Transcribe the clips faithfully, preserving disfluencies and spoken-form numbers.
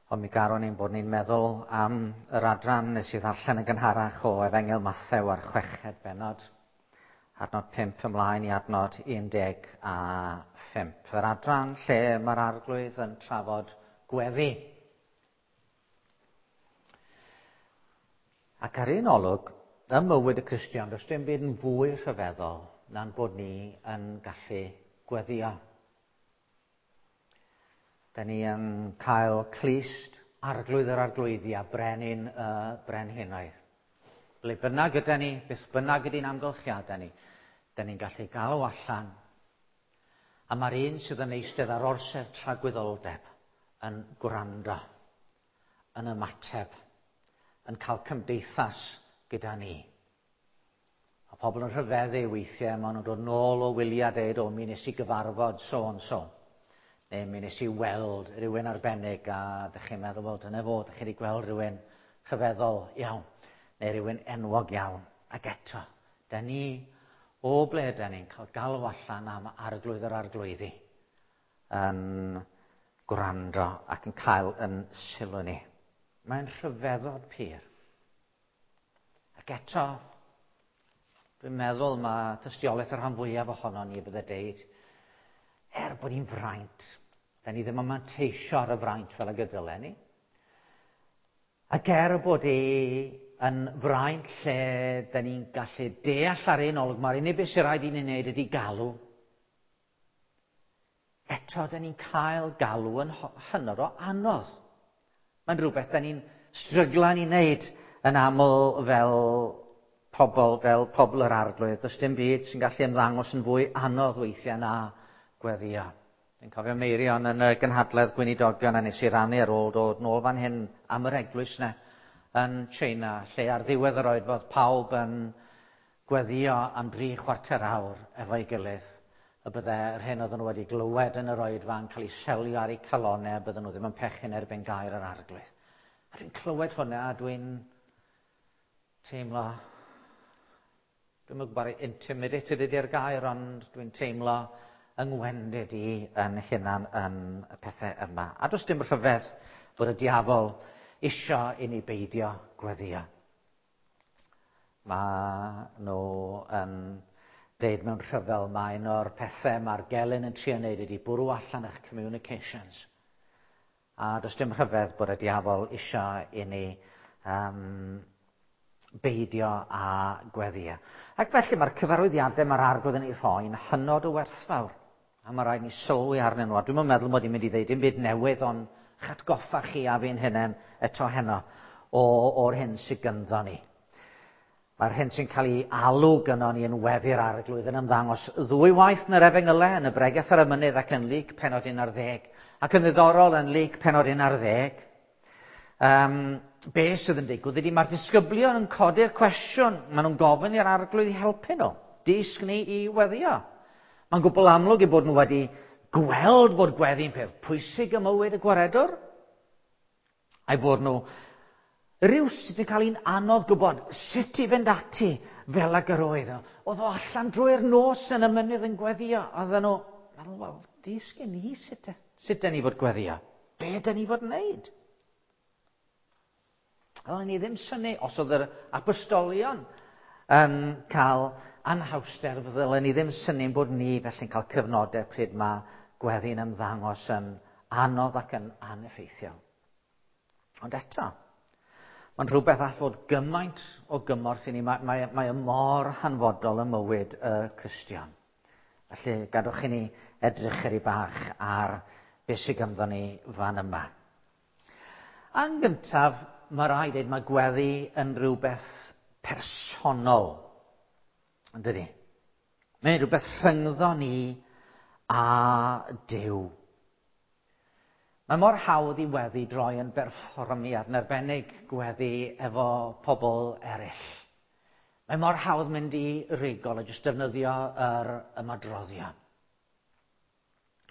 Ond mi garwn ni'n bod ni'n meddwl am yr adran nes i ddarllen yn gynharach o Efengyl Mathew ar chweched bennod, adnod pump ymlaen i adnod un deg a phump. Yr adran lle mae'r Arglwydd yn trafod gweddi. Ac ar un olwg, ym mywyd y Cristion, does dim byd yn fwy rhyfeddol na'n bod ni yn gallu gweddio. Da ni yn cael clust Arglwydd yr Arglwyddi a Brenin y Brenhinoedd. Ble bynnag yda ni, beth bynnag ydy'n amgylchiadau ni, da ni'n gallu galw allan. A mae'r un sydd yn eistedd ar orsedd tragwyddoldeb yn gwrando, yn ymateb, yn cael cymdeithas gyda ni. A pobl yn rhyfeddu weithiau, maen nhw'n dod nôl o wyliau a deud, o, mi nes i gyfarfod so and so. Neu mi nes i weld rhywun arbennig a dych chi'n meddwl, wel, dyna fo, dych chi wedi gweld rhywun rhyfeddol iawn, neu rhywun enwog iawn. Ac eto, da ni, o ble da ni'n cael galw allan am Arglwydd yr Arglwyddi yn gwrando ac yn cael yn sylw ni. Mae'n rhyfeddod pur. Ac eto, dwi'n meddwl mae tystiolaeth y rhan fwyaf ohono ni bydde deud, er bod hi'n fraint, da ni ddim yn manteisio ar y fraint fel y gydylen ni. Ac er bod hi yn fraint lle da ni'n gallu deall ar un olwg, mae'r unig beth sy'n rhaid i ni wneud ydy galw. Eto, da ni'n cael galw yn hynod o anodd. Mae'n rhywbeth da ni'n stryglan i wneud yn aml fel pobl, fel pobl yr Arglwydd. Does dim byd sy'n gallu ymddangos yn fwy anodd weithiau na gweddio. Dwi'n cofio Meirion yn y gynhadledd gweinidogion a nes i rannu ar ôl dod nôl fan hyn am yr eglwys na yn China, lle ar ddiwedd yr oed fod pawb yn gweddio am dri chwarter awr efo'i gilydd, y bydde yr hyn oedden nhw wedi glywed yn yr oedfa yn cael ei selio ar eu calonau, a bydden nhw ddim yn pechu'n erbyn gair yr Arglwydd. A dwi'n clywed hwnna a dwi'n teimlo, dwi'n gwybod intimidated ydy'r gair, ond dwi'n teimlo yngwendid i yn hunan yn y pethau yma. A does dim rhyfedd bod y diafol isio i ni beidio gweddio. Mae nhw yn deud mewn rhyfel, mae un o'r pethau mae'r gelyn yn trio wneud ydy bwrw allan eich communications. A does dim rhyfedd bod y diafol isio i ni um, beidio a gweddio. Ac felly mae'r cyfarwyddiadau mae'r Arglwydd yn ei rhoi yn hynod o werthfawr. A mae rhaid ni sylwi arnyn nhw. A dwi'm yn meddwl mod i'n mynd i ddeud dim byd newydd, ond chatgoffa chi a fi'n hunain eto heno o, o'r hyn sydd gynddo ni. Mae'r hyn sy'n cael ei alw gynno ni yn weddi'r Arglwydd yn ymddangos ddwy waith yn yr Efengylau, yn y Bregeth ar y Mynydd ac yn Luc pennod un ar ddeg. Ac yn ddiddorol yn Luc pennod un ar ddeg, um, be sydd yn digwydd ydy mae'r disgyblion yn codi'r cwestiwn. Maen nhw'n gofyn i'r Arglwydd i helpu nhw. Dysg ni i weddio. Mae'n gwbl amlwg eu bod nhw wedi gweld bod gweddi'n peth pwysig ym mywyd y gwaredwr. A'i bod nhw rywsut yn cael un anodd gwybod sut i fynd ati fel ag yr oedd. Oedd o allan drwy'r nos yn y mynydd yn gweddio. Oedden nhw, meddwl, wel, dysgu ni sut, sut da ni fod gweddio. Be da ni fod wneud? Oedden ni ddim synnu os oedd yr apostolion yn cael anhawster, fydden ni ddim synnu bod ni felly'n cael cyfnodau pryd mae gweddi'n ymddangos yn anodd ac yn aneffeithiol. Ond eto, mae'n rhywbeth all fod gymaint o gymorth i ni. Mae, mae, mae mor hanfodol ym mywyd y Cristion. Felly, gadwch i ni edrych chydig bach ar beth sydd ganddo ni fan yma. Yn gyntaf, mae rhaid dweud mae gweddi yn rhywbeth personol, yn dydi? Mae'n rhywbeth rhyngddo ni a Duw. Mae mor hawdd i weddi droi yn berfformiad, yn arbennig gweddi efo pobl eraill. Mae mor hawdd mynd i rigol a jyst defnyddio yr ymadroddion.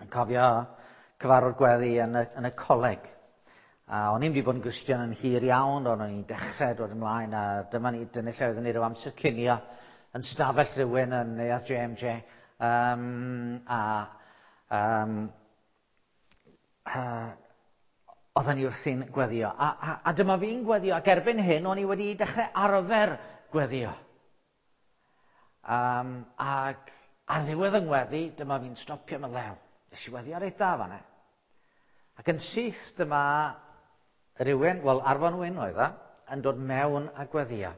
Yn cofio cyfarfod gweddi yn y, yn y coleg. A o'n i'n wedi bod yn Gristion yn hir iawn, ond o'n i'n dechrau dod ymlaen, a dyma ni, dyna lle oeddwn ni ryw amser cinio yn stafell rhywun yn neuadd J M J. Um, a um, uh, Oedden ni wrthi'n gweddio. A, a, a dyma fi'n gweddio, ac erbyn hyn o'n i wedi dechrau arfer gweddio. Um, ac ar ddiwedd yng ngweddi, dyma fi'n stopio mewn lew. Nes i weddio reit dda fan'na. Ac yn syth dyma rhywun, wel Arfon Wyn oedd o, yn dod mewn a gweddio.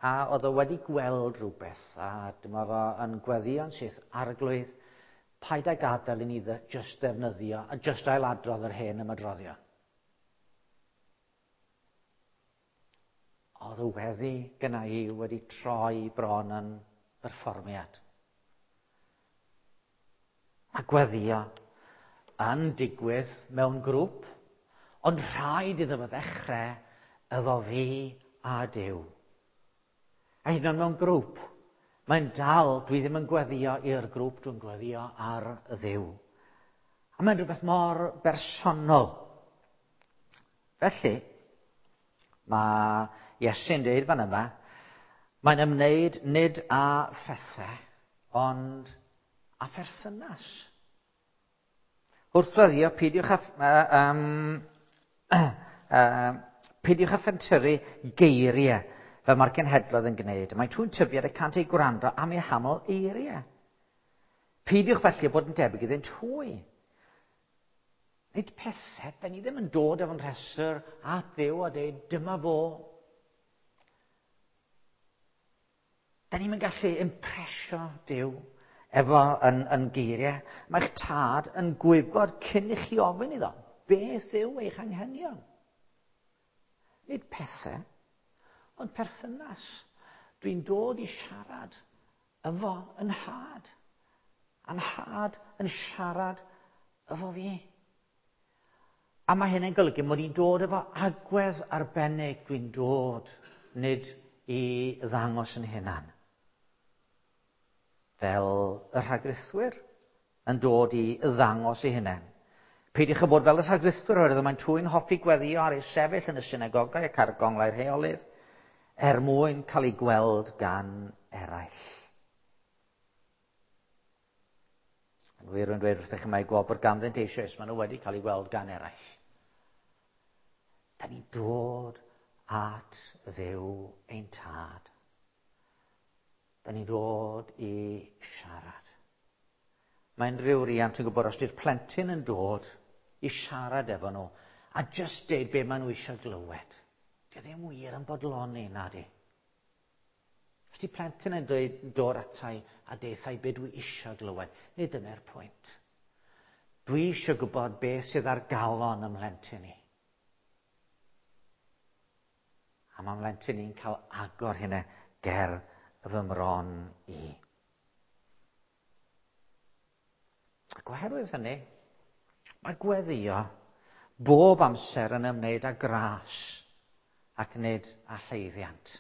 A oedd o wedi gweld rhywbeth, a dyma fo yn gweddio'n syth, Arglwydd, paid â gadael i ni just ddefnyddio a just ailadrodd yr hen ymadroddion. Oedd y weddi gyna i wedi troi bron yn berfformiad. A gweddio yn digwydd mewn grŵp, ond rhaid iddo fo ddechrau efo fi a Duw. A hyd yn oed mewn grŵp, mae'n dal, dwi ddim yn gweddio i'r grŵp, dwi'n gweddio ar Dduw. A mae'n rhywbeth mor bersonol. Felly, mae Iesu'n dweud fan yma, mae'n ymwneud nid â phethau, ond â pherthynas. Wrth weddio, peidiwch â, um, uh, peidiwch â phentyrru geiriau fel mae'r genhedloedd yn gwneud. Mae trwy'n tybiad y cant ei gwrando am eu haml eiriau. Peidiwch felly bod yn debyg iddynt hwy. Nid pethau, da ni ddim yn dod efo'n rhestr at Dduw a dweud, dyma fo. Da ni'n gallu impresio Duw efo yn, yn geiriau. Mae'ch tad yn gwybod cyn i chi ofyn iddo, beth yw eich anghenion? Nid pethau, ond perthynas. Dwi'n dod i siarad efo yn nhad. A'n nhad yn siarad efo fi. A mae hynny'n golygu mod i'n dod efo agwedd arbennig. Dwi'n dod nid i ddangos yn hunan. Fel y rhagrithwyr yn dod i ddangos eu hunain. Peidiwch â bod fel y rhagrithwyr, oherwydd mae'n trwy'n hoffi gweddio ar ei sefyll yn y synagogau ac ar gonglau'r heolydd, er mwyn cael ei gweld gan eraill. Yn wir, rwy'n dweud wrthych chi mai gwobr ganddynt eisoes, maen nhw wedi cael ei gweld gan eraill. Da ni'n dod at Dduw ein tad. Da ni'n dod i siarad. Mae'n rhyw riant yn gwybod os di'r plentyn yn dod i siarad efo nhw a just deud be maen nhw eisiau glywed. Di ddim wir yn bodloni, na di. Os di plentyn yn dweud dod atai a deithau be dwi eisiau glywed, nid dyna'r pwynt. Dwi eisiau gwybod beth sydd ar galon ym mhlentyn i. A mae mhlentyn i'n cael agor hynna ger fy mron i. Ac oherwydd hynny, mae gweddio bob amser yn ymwneud â gras ac nid â llwyddiant.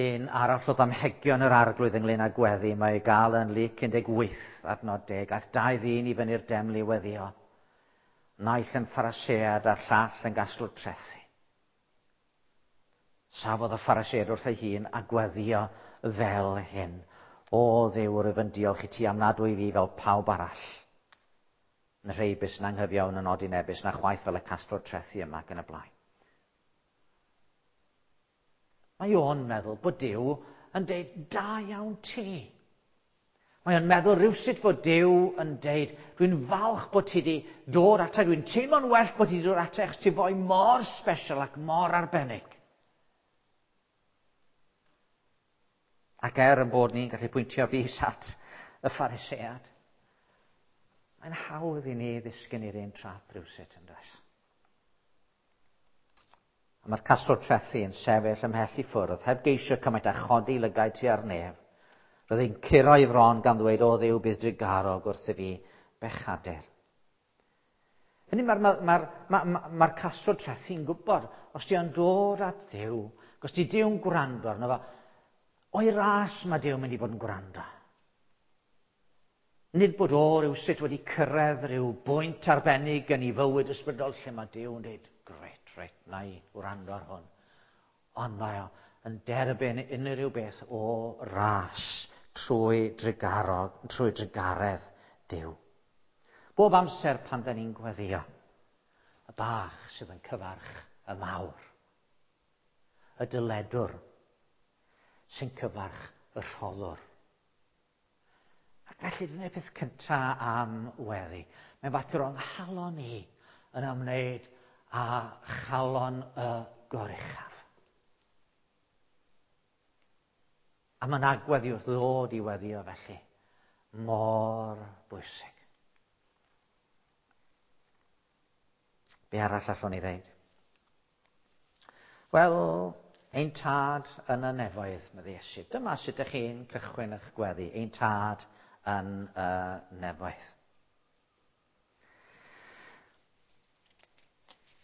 Un arall o ddamhegion yr Arglwydd ynglyn â gweddi, mae ei gael yn Luc un deg wyth adnod deg. Aeth dau ddyn i fyny'r deml i weddio, naill yn Pharisead a'r llall yn gasglwr trethi. Safodd y Pharisead wrth ei hun a gweddio fel hyn. O Dduw, rwyf yn diolch i ti am nad wyf fi fel pawb arall. Yn rheibus yn anghyfiawn yn odinebus, na chwaith fel y casglwr trethi yma ac yn y blaen. Mae o'n meddwl bod Duw yn deud, da iawn ti. Mae o'n meddwl rhywsut bod Duw yn deud, dwi'n falch bod ti wedi dod ata, dwi'n teimlo'n well bod ti wedi dod ata, achos ti foi mor special ac mor arbennig. Ac er yn bod ni'n gallu pwyntio bys at y Pharisead, mae'n hawdd i ni ddisgyn i'r un trap rhywsut yn does. A mae'r casglwr trethi yn sefyll ymhell i ffwrdd, heb geisio cymaint â chodi lygaid tua'r nef. Roedd hi'n curo ei fron gan ddweud, o Dduw, bydd drugarog wrth i fi bechadur. Hynny mae'r ma, ma, ma, ma, ma casglwr trethi'n gwybod, os di o'n dod at Dduw, os di Duw'n gwrando arno fo, o'i ras mae Duw yn mynd i fod yn gwrando. Nid bod o rywsut wedi cyrraedd rhyw bwynt arbennig yn ei fywyd ysbrydol lle mae Duw yn dweud, grêt, reit, na i wrando ar hwn. Ond mae o yn derbyn unrhyw beth o ras trwy drugarog, trwy drugaredd Duw. Bob amser pan da ni'n gweddio, Y bach sydd yn cyfarch y mawr. Y dyledwr sy'n cyfarch y rhoddwr. Ac felly dyna'r peth cyntaf am weddi. Mae'n fater o'n nghalon ni yn ymwneud â chalon y goruchaf. A mae'n agwedd i wrth ddod i weddio felly mor bwysig. Be arall allwn ni ddeud? Wel, ein tad yn y nefoedd, medde Iesu. Dyma sut ydych chi'n cychwyn eich gweddi. Ein tad yn y nefoedd.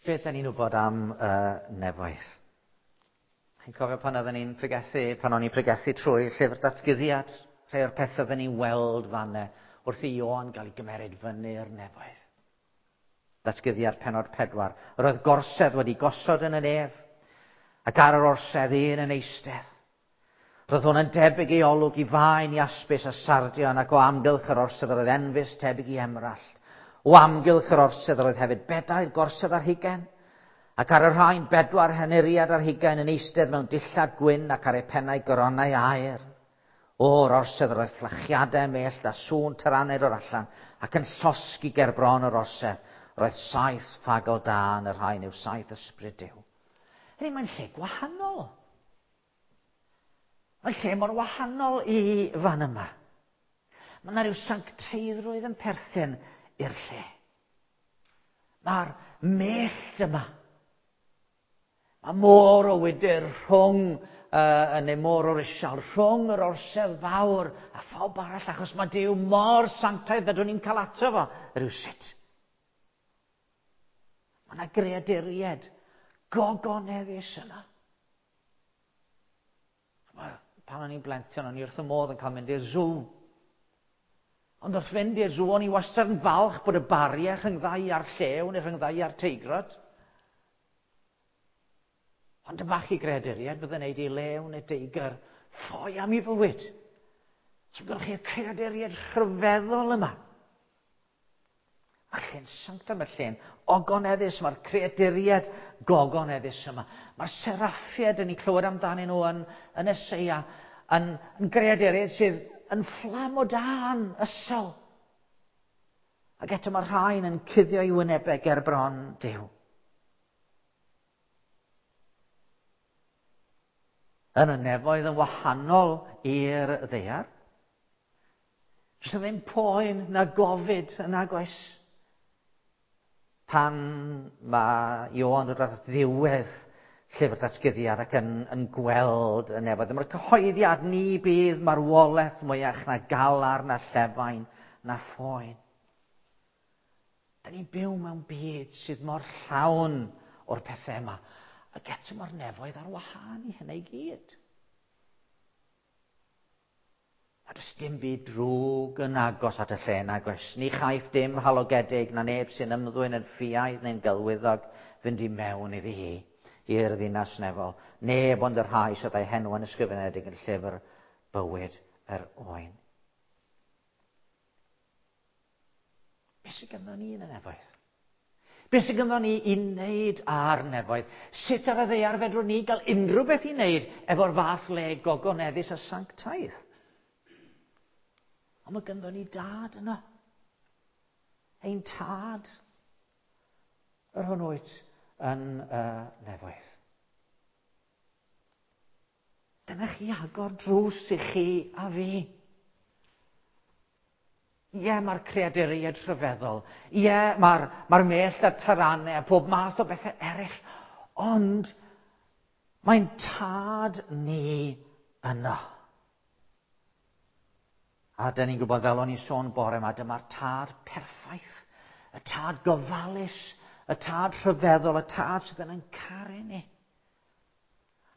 Beth ydyn ni'n wybod am y nefoedd? Chi'n cofio pan oedden ni'n pregethu, pan o'n i'n pregethu trwy llyfr datguddiad, rhai o'r pethau oedden ni'n weld fanne wrth i Ioan gael ei gymeryd fyny'r nefoedd. Datguddiad pennod pedwar. Yr oedd gorsedd wedi gosod yn y nef, ac ar yr orsedd un yn eistedd. Roedd hwn yn debyg i olwg i faen, iaspis a sardion, ac o amgylch yr orsedd yr oedd enfys tebyg i emrallt. O amgylch yr orsedd yr oedd hefyd bedair gorsedd ar hugain, ac ar y rhain bedwar henuriad ar hugain yn eistedd mewn dillad gwyn ac ar eu pennau goronau aur. O'r orsedd yr oedd fflachiadau mellt a sŵn taraned o'r allan, ac yn llosgi ger bron yr orsedd. Roedd saith ffagl dân, y rhain yw saith ysbryd Duw. Hynny, mae'n lle gwahanol. Mae'n lle mor wahanol i fan yma. Mae yna rhyw sancteiddrwydd yn perthyn i'r lle. Mae'r mellt yma. Mae môr o wydr rhwng, uh, neu môr o risial, rhwng yr orsedd fawr a phawb arall, achos mae Duw mor sanctaidd fedrwn ni'n cael ato fo rhywsut. Mae yna greaduriaid gogoneddus yna. Pan o'n i'n blentyn, o'n i wrth y modd yn cael mynd i'r zoo. Ond wrth fynd i'r zoo, o'n i wastad yn falch bod y bariau rhyngddau a'r llew neu rhyngddau a'r teigrod. Ond y bach i greaduriaid fydde'n neud i lew neu deigr ffoi am ei fywyd. So gwelwch chi'r creaduriaid rhyfeddol yma. Mae'r lle'n sanctaidd, mae'r lle'n ogoneddus, mae'r creaduriaid gogoneddus yma. Mae'r seraffiaid yn ei clywed amdanyn nhw yn, yn Eseia, yn, yn greaduriaid sydd yn fflam o dân, ysol. Ac eto mae'r rhain yn cuddio i wynebau ger bron Duw. Yn y nefoedd yn wahanol i'r ddaear. Does 'na ddim poen na gofid yn nagoes. Pan mae Ioan dod at ddiwedd llyfr datguddiad ac yn, yn gweld y nefoedd. Mae'r cyhoeddiad ni bydd marwolaeth mwyach na galar, na llefain, na phoen. Da ni'n byw mewn byd sydd mor llawn o'r pethau yma. Ac eto mae'r nefoedd ar wahân i hynny i gyd. A does dim byd drwg yn agos at y lle nag oes. Ni chaiff dim halogedig na neb sy'n ymddwyn yn ffiaidd neu'n gelwyddog fynd i mewn iddi hi, i'r ddinas nefol. Neb ond y rhai sydd â'i henw yn ysgrifenedig yn llyfr bywyd yr oen. Be sydd ganddo ni yn y nefoedd? Be sydd ganddo ni i wneud â'r nefoedd? Sut ar y ddaear fedrwn ni gael unrhyw beth i wneud efo'r fath le gogoneddus a sanctaidd? Ond mae ganddo ni dad yno. Ein tad, yr hwn wyt yn y nefoedd. Dyna chi agor drws i chi a fi. Ie, mae'r creaduriaid rhyfeddol. Ie, mae'r mae'r mellt a'r taranau a pob math o bethau eraill. Ond mae'n tad ni yno. A dyn ni'n gwybod, fel o'n i'n sôn bore yma, dyma'r tad perffaith, y tad gofalus, y tad rhyfeddol, y tad sydd yn ein caru ni.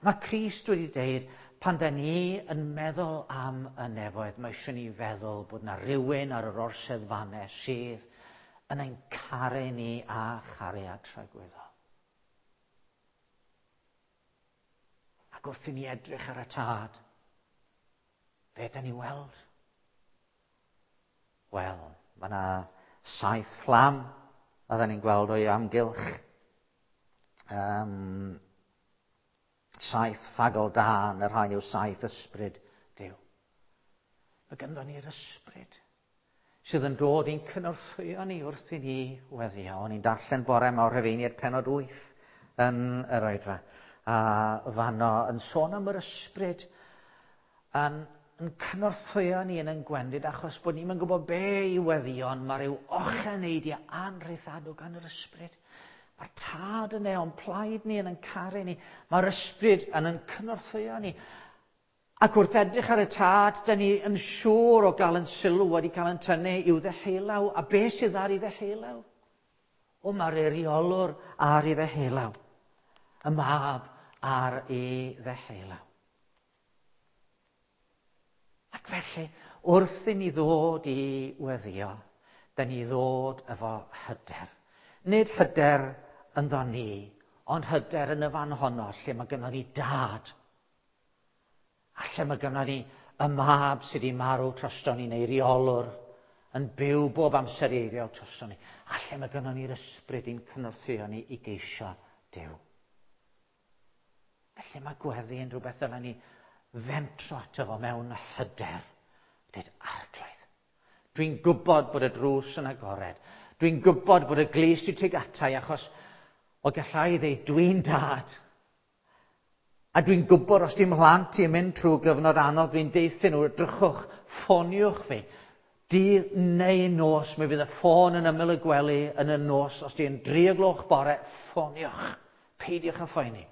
Mae Crist wedi deud, pan da ni yn meddwl am y nefoedd, mae eisiau ni feddwl bod na rywun ar yr orsedd fanne sydd yn ein caru ni a chariad tragwyddol. Ac wrth i ni edrych ar y tad, be da ni weld? Wel, mae yna saith fflam Oedden ni'n gweld o'i amgylch. Um, saith ffagl dân, y rhain yw saith ysbryd Duw. Mae ganddo ni'r ysbryd sydd yn dod i'n cynorthwyo ni wrth i ni weddio. O'n i'n darllen bore yma o'r Rhufeiniaid pennod wyth yn yr oedfa. A fanno yn sôn am yr ysbryd yn, yn cynorthwyo ni yn ein gwendid, achos bod ni'n gwybod be i weddio, ond mae rhyw ocheneidiau anrheithadw gan yr ysbryd. Mae'r tad yn o'n plaid ni, yn ein caru ni. Mae'r ysbryd yn ein cynorthwyo ni. Ac wrth edrych ar y tad, da ni yn siŵr o gael yn sylw wedi cael yn tynnu i'w ddeheulaw. A be sydd ar ei ddeheulaw? O, mae'r eiriolwr ar ei ddeheulaw. Y mab ar ei ddeheulaw. Ac felly, wrth i ni ddod i weddio, da ni ddod efo hyder. Nid hyder ynddo ni, ond hyder yn y fan honno lle mae gynnon ni dad. A lle mae gynnon ni y mab sydd wedi marw drosto ni, neu reolwr, yn byw bob amser i eiriol drosto ni. A lle mae gynnon ni'r ysbryd i'n cynorthwyo ni i geisio Duw. Felly mae gweddi yn rhywbeth dylen ni fentro ato fo mewn hyder. Dweud, Arglwydd, dwi'n gwybod bod y drws yn agored. Dwi'n gwybod bod y glust i tuag ata i, achos o gallai ddeud, dwi'n dad. A dwi'n gwybod os dim mhlant i'n mynd trwy gyfnod anodd, dwi'n deuthyn nhw, drychwch, ffoniwch fi. Dydd neu nos, mi fydd y ffôn yn ymyl y gwely yn y nos. Os di'n dri o gloch bore, ffoniwch. Peidiwch â phoeni.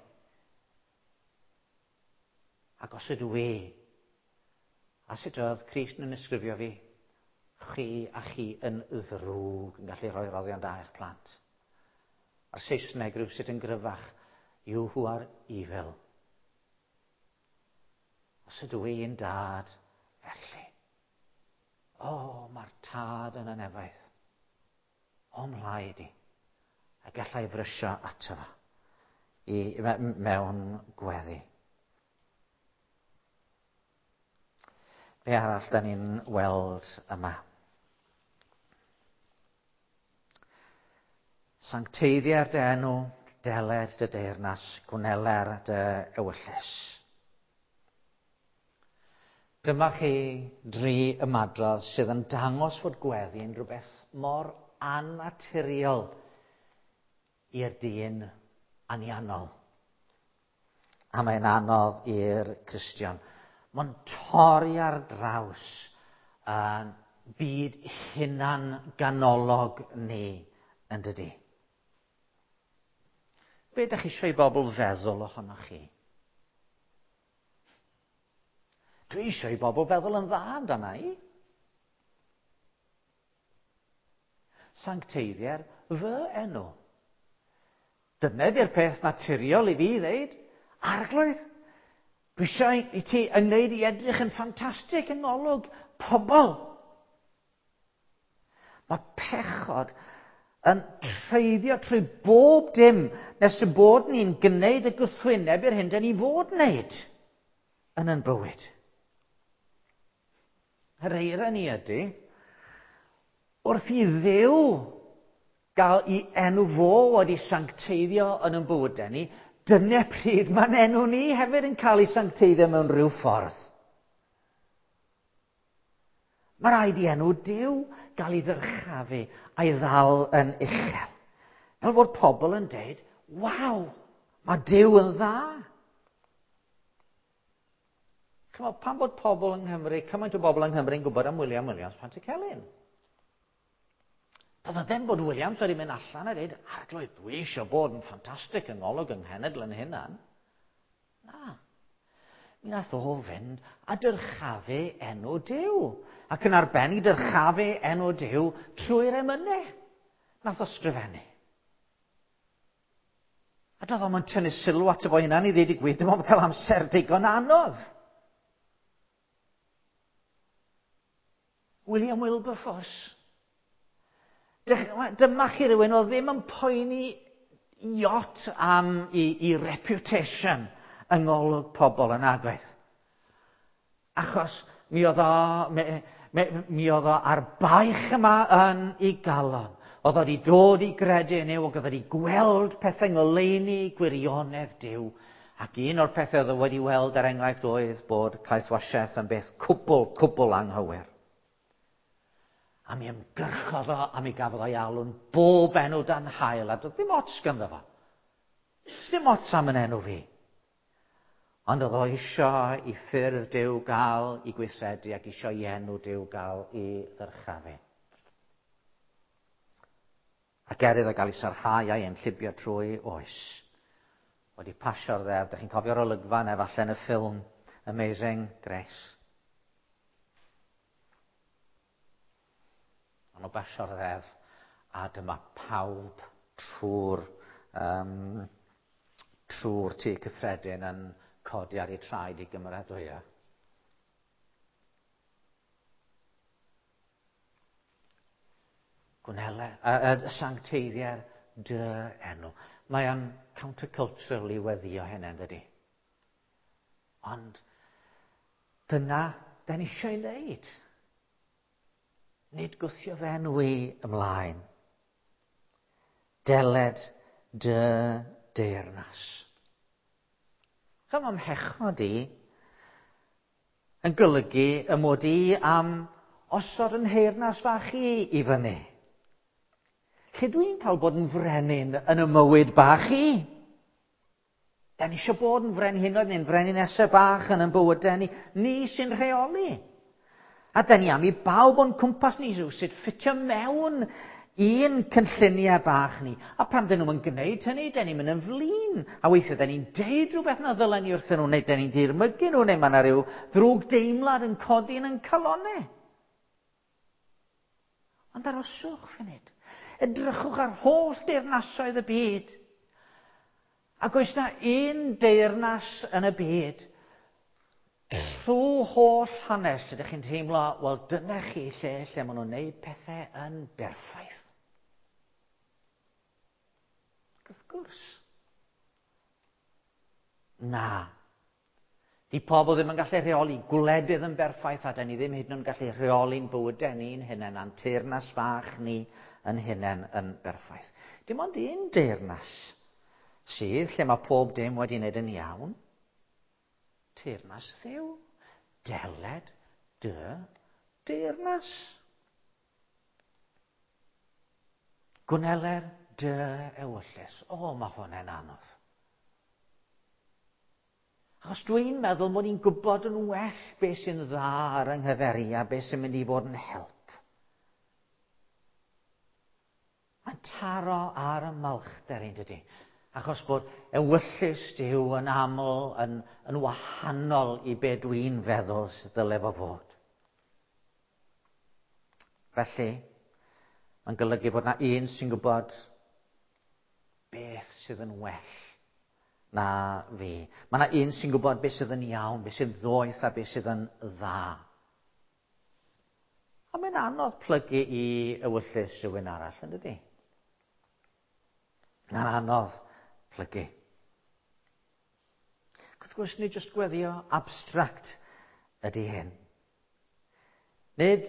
Ac os ydw i, a sut oedd Crist yn ysgrifio fi, chi a chi yn ddrwg yn gallu rhoi roddion da i'ch plant. A'r Saesneg rhywsut yn gryfach, you who are evil. Os ydw i'n dad, felly. O, oh, mae'r tad yn y nefoedd. O, mhlaid i. A gallai frysio ato fo i, mewn gweddi. Be arall da ni'n weld yma? Sancteiddier dy enw, deled dy deyrnas, gwneler dy ewyllys. Dyma chi dri ymadrodd sydd yn dangos fod gweddi yn rhywbeth mor annaturiol i'r dyn anianol. A mae'n anodd i'r Cristion. Mae'n torri ar draws uh, byd hunan ganolog ni yn dydi. Be ydych chi eisiau i bobl feddwl ohonoch chi? Dwi eisiau i bobl feddwl yn dda amdana i. Sancteiddier fy enw. Dyna di'r peth naturiol i fi ddeud. Arglwydd, dwi eisiau i ti yn wneud i edrych yn ffantastig yng ngolwg pobl. Mae pechod yn treiddio trwy bob dim nes y bod ni'n gwneud y gwrthwyneb i'r hyn dan ni fod wneud yn ein bywyd. Yr eira ni ydy, wrth i Dduw gael ei enw fo wedi sancteiddio yn ein bywydau ni, dyna pryd mae'n enw ni hefyd yn cael ei sancteiddio mewn rhyw ffordd. Mae rhaid i enw Duw gael ei ddyrchafu a'i ddal yn uchel. Fel fod pobl yn deud, waw, mae Duw yn dda. Chymod, pam bod pobl yng Nghymru, cymaint o bobl yng Nghymru yn gwybod am William Williams Pantycelyn? Doedd o ddim bod Williams wedi mynd allan a dweud, Arglwydd, dwi eisiau bod yn ffantastig yng ngolwg yng nghenedl yn hunan. Na. Mi nath o fynd a dyrchafu enw Duw. Ac yn arbennig dyrchafu enw Duw trwy'r emynau. Nath o sgrifennu. A doedd o'm yn tynnu sylw ato fo hunan i ddweud y gwir, dim ond cael amser digon anodd. William Wilberforce. Dyma chi rhywun oedd ddim yn poeni iot am i, i reputation yng ngolwg pobl yn agwedd. Achos mi oedd o, mi, mi, mi oedd o ar baich yma yn ei galon. Oedd wedi dod i gredu yn Nuw, ac oedd wedi gweld pethau ngoleuni gwirionedd Duw. Ac un o'r pethau oedd o wedi weld, er enghraifft, oedd bod caethwasiaeth yn beth cwbl, cwbl anghywir. A mi ymgyrchodd o, a mi gafodd o'i alw'n bob enw dan haul, a doedd ddim ots ganddo fo. Dim ots am yn enw fi. Ond oedd o eisiau i ffyrdd Duw gael i gweithredu ac eisiau i enw Duw gael i ddyrchafu. Ac er iddo gael ei sarhau a'i enllibio trwy oes, wedi pasio'r ddeddf. Dych chi'n cofio'r olygfa yna falle yn y ffilm Amazing Grace. Ond o basio'r ddeddf, a dyma pawb trwy'r um, trwy'r tŷ cyffredin yn codi ar eu traed i gymeradwyo. Gwnele, y, y sancteiddier dy enw. Mae o'n countercultural i weddio hynny, yn dydi? Ond dyna da ni eisiau ei wneud. Nid gwthio fe enw i ymlaen. Deled dy deyrnas. Chym am hechod i yn golygu y mod i am osod yn nheyrnas fach i i fyny. Lle dwi'n cael bod yn frenin yn y mywyd bach i? Da ni eisiau bod yn frenhinoedd neu'n freninesau bach yn ein bywydau ni. Ni sy'n rheoli. A da ni am i bawb o'n cwmpas ni sut ffitio mewn un cynlluniau bach ni. A pan dyn nhw'n gwneud hynny, da ni'n mynd yn flin. A weithiau, da ni'n deud rhywbeth na ddylen ni wrthyn nhw, neu da ni'n dirmygu nhw, neu mae yna rhyw ddrwg deimlad yn codi yn ein calonnau. Ond aroswch funud. Edrychwch ar holl deyrnasoedd y byd. Ac oes na un deyrnas yn y byd trwy holl hanes ydych chi'n teimlo, wel dyna chi lle lle maen nhw'n gwneud pethau yn berffaith. Ac wrth gwrs, na. Di pobl ddim yn gallu rheoli gwledydd yn berffaith, a da ni ddim hyd yn oed yn gallu rheoli'n bywydau ni'n hunain, a'n teyrnas fach ni yn hunain yn berffaith. Dim ond un deyrnas sydd lle mae pob dim wedi wneud yn iawn. Teyrnas Dduw. Deled dy deyrnas. Gwneler dy ewyllys. O, mae hwnna'n anodd. Achos dwi'n meddwl mod i'n gwybod yn well beth sy'n dda ar yng nghyfer i a beth sy'n mynd i fod yn help. Mae'n taro ar y malchder ein dydy. Achos bod ewyllys Duw yn aml yn, yn wahanol i be dwi'n feddwl sydd dyle fo fod. Felly, mae'n golygu bod na un sy'n gwybod beth sydd yn well na fi. Mae yna un sy'n gwybod beth sydd yn iawn, beth sy'n ddoeth a beth sydd yn dda. A mae'n anodd plygu i ewyllys rhywun arall, yn dydi? Mae'n anodd plygu. Wrth gwrs, nid jyst gweddio abstract ydy hyn. Nid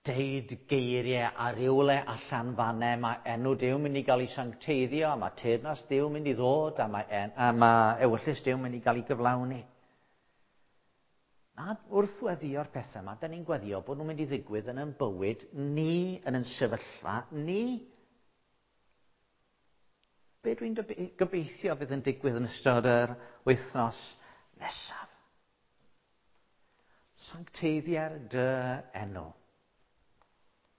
deud geiriau a rywle allan fanne, mae enw Duw mynd i gael ei sancteiddio, a mae teyrnas Duw mynd i ddod, a mae, en, a mae ewyllys Duw mynd i gael ei gyflawni. Na, wrth weddio'r pethau yma, da ni'n gweddio bod nhw'n mynd i ddigwydd yn ein bywyd ni, yn ein sefyllfa ni. Be dwi'n gobeithio fydd yn digwydd yn ystod yr wythnos nesaf? Sancteiddier dy enw.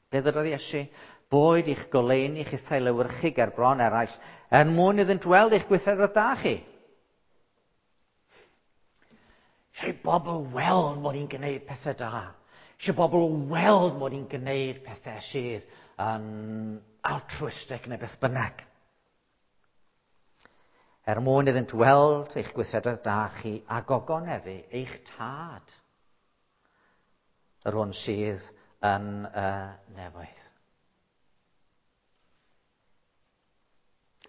Be ddydodd Iesu? Boed i'ch goleuni chithau lewyrchu ger bron eraill, er mwyn iddynt weld eich gweithredoedd da chi. Eisiau i bobl weld mod i'n gwneud pethau da. Eisiau bobl weld mod i'n gwneud pethau sydd yn altruistic neu beth bynnag. Er mwyn iddynt weld eich gweithredoedd da chi a gogoneddu eich tad, yr hwn sydd yn y nefoedd.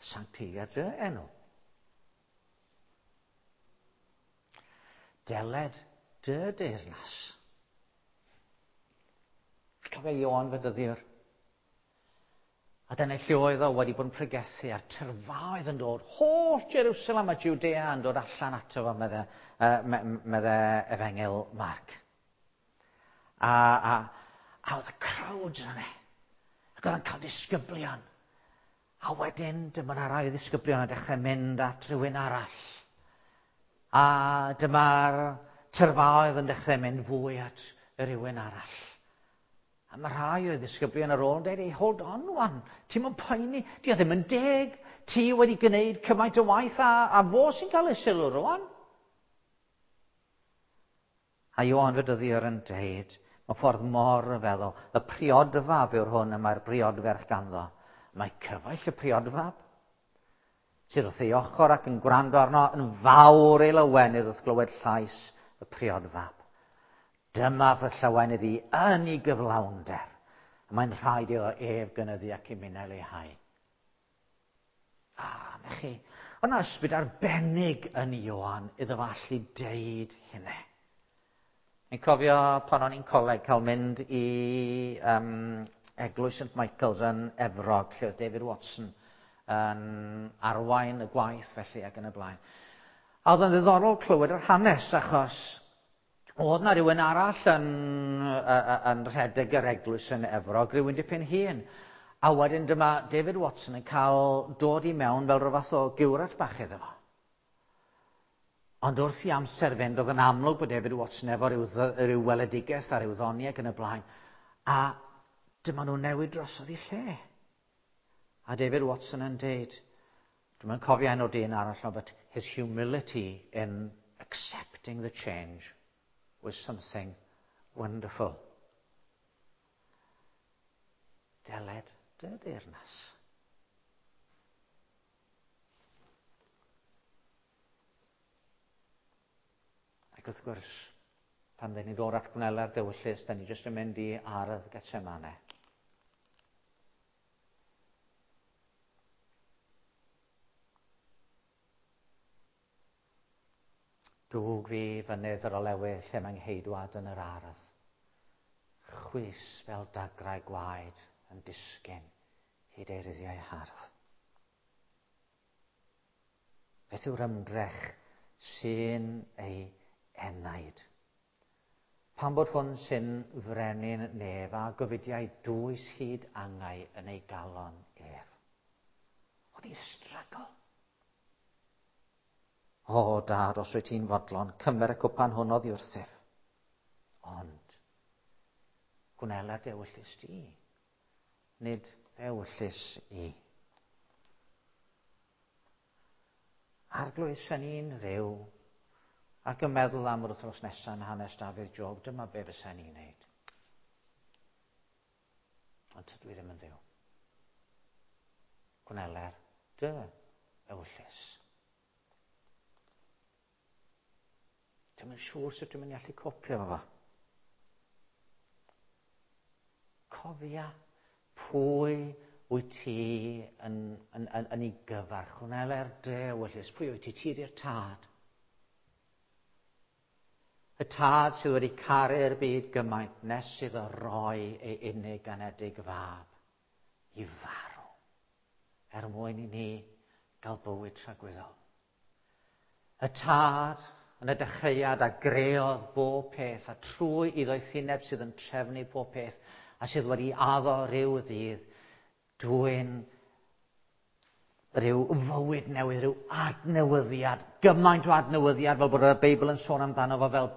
Sancteiddia dy enw. Deled dy deyrnas. Cofio Ioan Fedyddiwr. A dyna lle oedd o wedi bod yn pregethu a'r tyrfaoedd yn dod, holl Jerusalem a Judea yn dod allan ato fo, medde, uh, medde Efengyl Marc. A, a, a oedd y crowds yna. Ac oedd yn cael disgyblion. A wedyn dyma 'na rai o ddisgyblion yn dechrau mynd at rhywun arall. A dyma'r tyrfaoedd yn dechrau mynd fwy at rhywun arall. A mae rhai o'i ddisgyblion ar ôl yn dweud, hey, hold on wan, ti'n mynd poeni, di o ddim yn deg, ti wedi gwneud cymaint o waith a, a fo sy'n cael ei sylw rwan. A Ioan Fedyddiwr yn dweud, mewn ffordd mor ryfeddol, y priodfab yw'r hwn y mae'r briodferch ganddo. Mae cyfaill y priodfab, sydd wrth ei ochr ac yn gwrando arno yn fawr ei lawenydd wrth glywed llais y priodfab. Dyma fy llawenydd i yn ei gyflawnder. Mae'n rhaid iddo ef gynyddu ac i minnau leihau. A, na chi, oedd 'na ysbryd arbennig yn Ioan iddo fo allu deud hynny. Fi'n cofio pan o'n i'n coleg cael mynd i um, Eglwys Saint Michael's yn Efrog, lle oedd David Watson yn arwain y gwaith felly ac yn y blaen. A oedd yn ddiddorol clywed yr hanes achos oedd na rhywun arall yn, yn rhedeg yr eglwys yn Efrog, rhywun dipyn hŷn. A wedyn dyma David Watson yn cael dod i mewn fel rhyw fath o giwrat bach iddo fo. Ond wrth i amser fynd, oedd yn amlwg bod David Watson efo rhyw, rhyw weledigaeth a rhyw ddoniau ac yn y blaen. A dyma nhw'n newid drosodd i lle. A David Watson yn deud, dwi'n cofio enw'r dyn arall, but his humility in accepting the change was something wonderful. Deled dy deyrnas. Ac wrth gwrs, pan dyn ni ddod at gwneler d'ewyllys, da ni jyst yn mynd i ardd Getsemane. Dwg fi fynydd yr olewydd lle mae'n ngheidwad yn yr ardd. Chwys fel dagrau gwaed yn disgyn hyd ei ruddiau hardd. Beth yw'r ymdrech sy'n ei enaid? Pan bod hwn sy'n frenin nef a gofidiau dwys hyd angau yn ei galon ef. Oedd hi'n struggle. O, dad, os wyt ti'n fodlon, cymer y cwpan hwn oddi wrthyf. Ond, gwnela d'ewyllys di, nid ewyllys i. Arglwydd, sen i'n Dduw, ac yn meddwl am yr wythnos nesaf yn hanes Dafydd Job, dyma be fysen i'n neud. Ond tydw i ddim yn Dduw. Gwneler dy ewyllys. Dwi'm yn siŵr sut dwi'n mynd i allu copio efo fo. Cofia pwy wyt ti yn, yn, yn, yn ei gyfarch. Wneler dy ewyllys. Pwy wyt ti? Ti ydi'r tad. Y tad sydd wedi caru'r byd gymaint nes iddo roi ei unig anedig fab i farw er mwyn i ni gael bywyd tragwyddol. Y tad yn y dechreuad a greodd bob peth a trwy ei ddoethineb sydd yn trefnu pob peth a sydd wedi addo rhyw ddydd dwyn rhyw fywyd newydd, rhyw adnewyddiad, gymaint o adnewyddiad fel bod y Beibl yn sôn amdano fo fel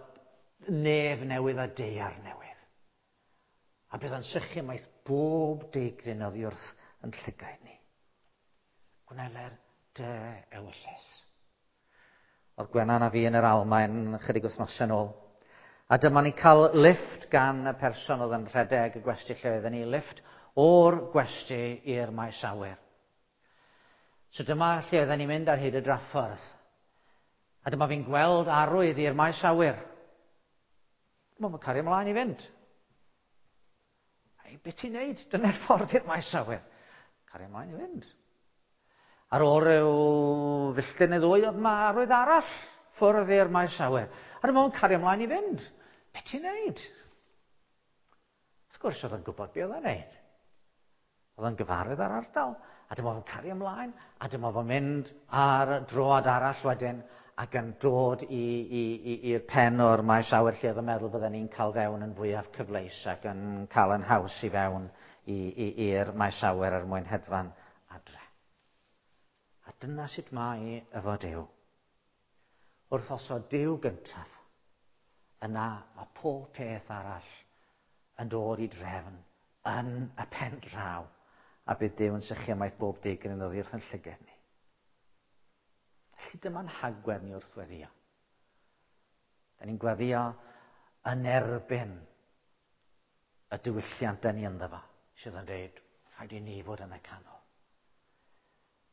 nef newydd a daear newydd. A bydd yn sychu maith bob deigryn oddi wrth yn llygaid ni. Gwneler dy ewyllys. Oedd Gwenan a fi yn yr Almaen chydig wythnosau yn ôl. A dyma ni'n cael lift gan y person oedd yn rhedeg y gwesty lle oedden ni, lift o'r gwesty i'r maes awyr. So dyma lle oedden ni'n mynd ar hyd y draffordd. A dyma fi'n gweld arwydd i'r maes awyr. Dyma fi'n cario ymlaen i fynd. Ei, beth ti'n neud? Dyna'r ffordd i'r maes awyr. Cario ymlaen i fynd. Ar ôl rhyw filltir neu ddwy, oedd ma arwydd arall ffwrdd i'r maes awyr. A dyma fo'n cario ymlaen i fynd. Be ti'n neud? Wrth gwrs oedd yn gwybod be oedd o'n neud. Oedd yn gyfarwydd ar ardal, a dyma fo'n cario ymlaen, a dyma fo'n mynd ar droad arall wedyn, ac yn dod i'r pen o'r maes awyr lle oedd yn meddwl bydden ni'n cael fewn yn fwyaf cyfleus ac yn cael yn haws i fewn i'r maes awyr er mwyn hedfan adre. A dyna sut mae efo Duw. Wrth osod Duw gyntaf, yna mae pob peth arall yn dod i drefn yn y pen draw, a bydd Duw yn sychu ymaith bob digon yn oddi wrth yn llygad ni. Felly dyma'n hagwedd ni wrth weddio. Da ni'n gweddio yn erbyn y diwylliant da ni ynddo fo, sydd yn dweud, rhaid i ni fod yn y canol.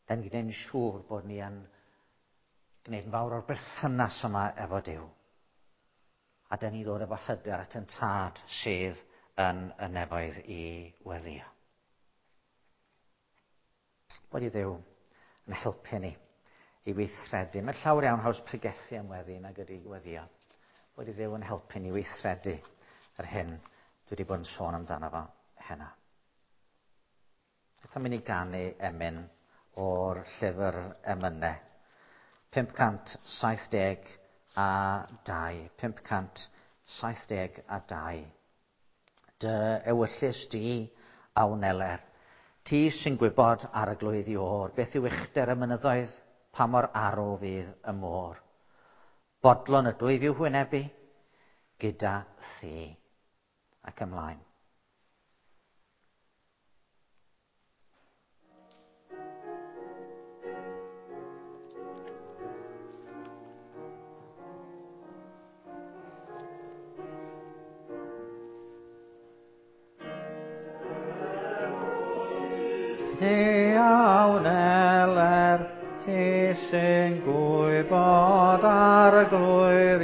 Da ni'n gwneud yn siŵr bod ni yn gwneud yn fawr o'r berthynas yma efo Duw. A da ni ddod efo hyder at yn tad sydd yn y nefoedd i weddio. Bod i Dduw yn helpu ni i weithredu. Mae llawer iawn haws pregethu am weddi nag ydy weddio. Bod i Dduw yn helpu ni weithredu yr hyn dwi wedi bod yn sôn amdano fo heno. Beth am i ni ganu emyn o'r llyfr emynau? pump cant saith deg a dau. pump cant saith deg a dau. Dy ewyllys di a wneler. Ti sy'n gwybod arglwydd i o'r, beth yw uchder y mynyddoedd, pa mor arw fydd y môr. Bodlon ydw i fyw hwynebu, gyda thi. Ac ymlaen. Ti a wneler, ti sy'n gwybod arglwydd